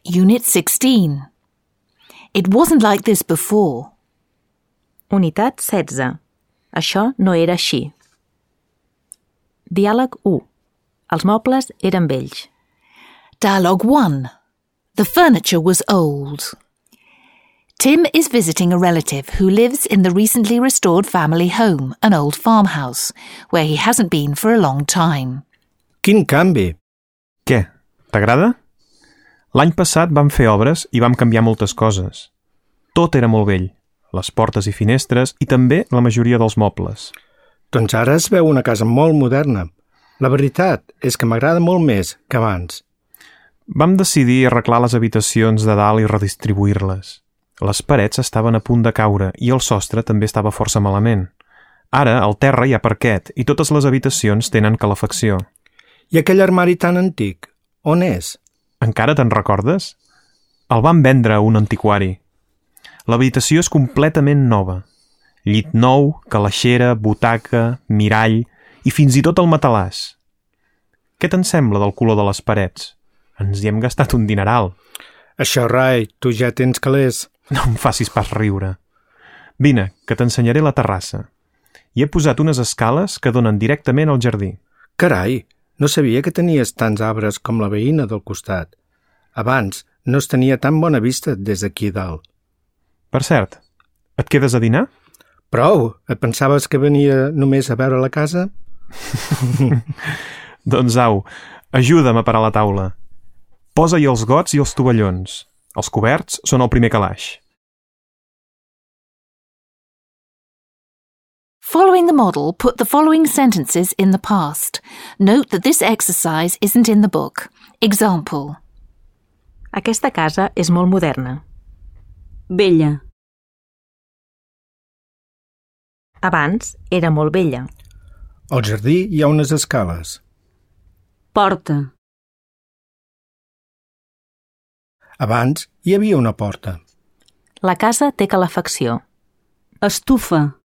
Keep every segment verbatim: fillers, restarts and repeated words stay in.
Unit sixteen. It wasn't like this before. Unitat setze. Això no era així. Diàleg u. Els mobles eren vells. Dialogue one. The furniture was old. Tim is visiting a relative who lives in the recently restored family home, an old farmhouse, where he hasn't been for a long time. Quin canvi! Què? T'agrada? L'any passat vam fer obres i vam canviar moltes coses. Tot era molt vell, les portes i finestres i també la majoria dels mobles. Doncs ara es veu una casa molt moderna. La veritat és que m'agrada molt més que abans. Vam decidir arreglar les habitacions de dalt i redistribuir-les. Les parets estaven a punt de caure i el sostre també estava força malament. Ara, al terra hi ha parquet i totes les habitacions tenen calefacció. I aquell armari tan antic, on és? Encara te'n recordes? El van vendre a un antiquari. L'habitació és completament nova. Llit nou, calaixera, butaca, mirall i fins i tot el matalàs. Què te'n sembla del color de les parets? Ens hi hem gastat un dineral. Això, Rai, tu ja tens calés. No em facis pas riure. Vine, que t'ensenyaré la terrassa. Hi he posat unes escales que donen directament al jardí. Carai, no sabia que tenies tants arbres com la veïna del costat. Abans no es tenia tan bona vista des d'aquí dalt. Per cert, et quedes a dinar? Prou! Et pensaves que venia només a veure la casa? Doncs au, ajuda'm a parar la taula. Posa-hi els gots i els tovallons. Els coberts són el primer calaix. Following the model, put the following sentences in the past. Note that this exercise isn't in the book. Example. Aquesta casa és molt moderna. Vella. Abans era molt vella. Al jardí hi ha unes escales. Porta. Abans hi havia una porta. La casa té calefacció. Estufa.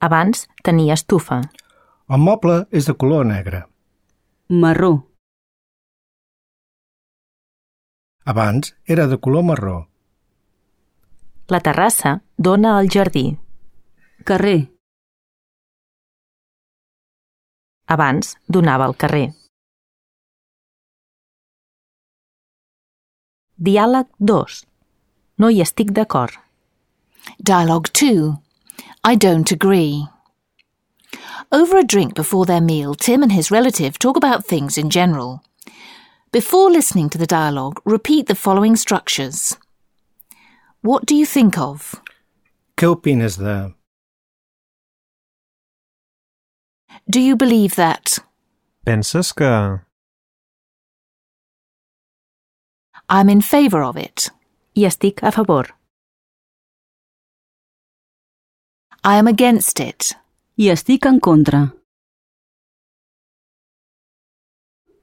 Abans tenia estufa. El moble és de color negre. Marró. Abans era de color marró. La terrassa dona al jardí. Carrer. Abans donava al carrer. Diàleg dos. No hi estic d'acord. Dialogue two. I don't agree. Over a drink before their meal, Tim and his relative talk about things in general. Before listening to the dialogue, repeat the following structures. What do you think of? Què opines de... Do you believe that? Penses que... I'm in favour of it. Hi estic a favor. I am against it. Hi estic en contra.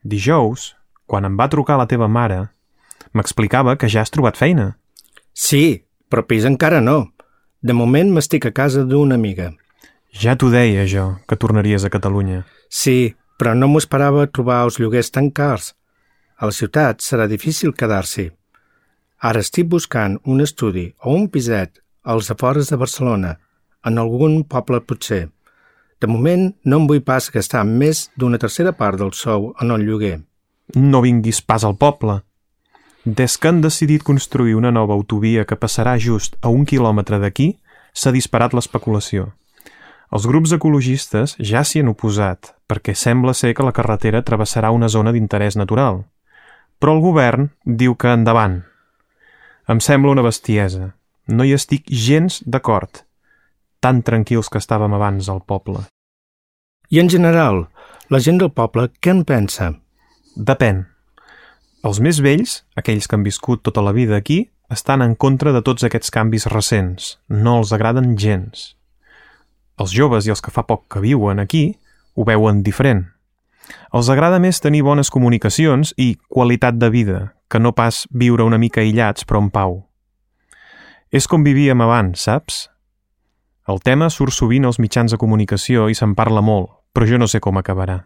Dijous, quan em va trucar la teva mare, m'explicava que ja has trobat feina. Sí, però pis encara no. De moment m'estic a casa d'una amiga. Ja t'ho deia, jo, que tornaries a Catalunya. Sí, però no m'ho esperava trobar els lloguers tan cars. A la ciutat serà difícil quedar-s'hi. Ara estic buscant un estudi o un piset als afores de Barcelona, en algun poble potser. De moment no em vull pas gastar més d'una tercera part del sou en el lloguer. No vinguis pas al poble. Des que han decidit construir una nova autovia que passarà just a un quilòmetre d'aquí, s'ha disparat l'especulació. Els grups ecologistes ja s'hi han oposat, perquè sembla ser que la carretera travessarà una zona d'interès natural. Però el govern diu que endavant. Em sembla una bestiesa. No hi estic gens d'acord. Tan tranquils que estàvem abans al poble. I en general, la gent del poble què en pensa? Depèn. Els més vells, aquells que han viscut tota la vida aquí, estan en contra de tots aquests canvis recents. No els agraden gens. Els joves i els que fa poc que viuen aquí ho veuen diferent. Els agrada més tenir bones comunicacions i qualitat de vida, que no pas viure una mica aïllats però en pau. És com vivíem abans, saps? El tema surt sovint als mitjans de comunicació i se'n parla molt, però jo no sé com acabarà.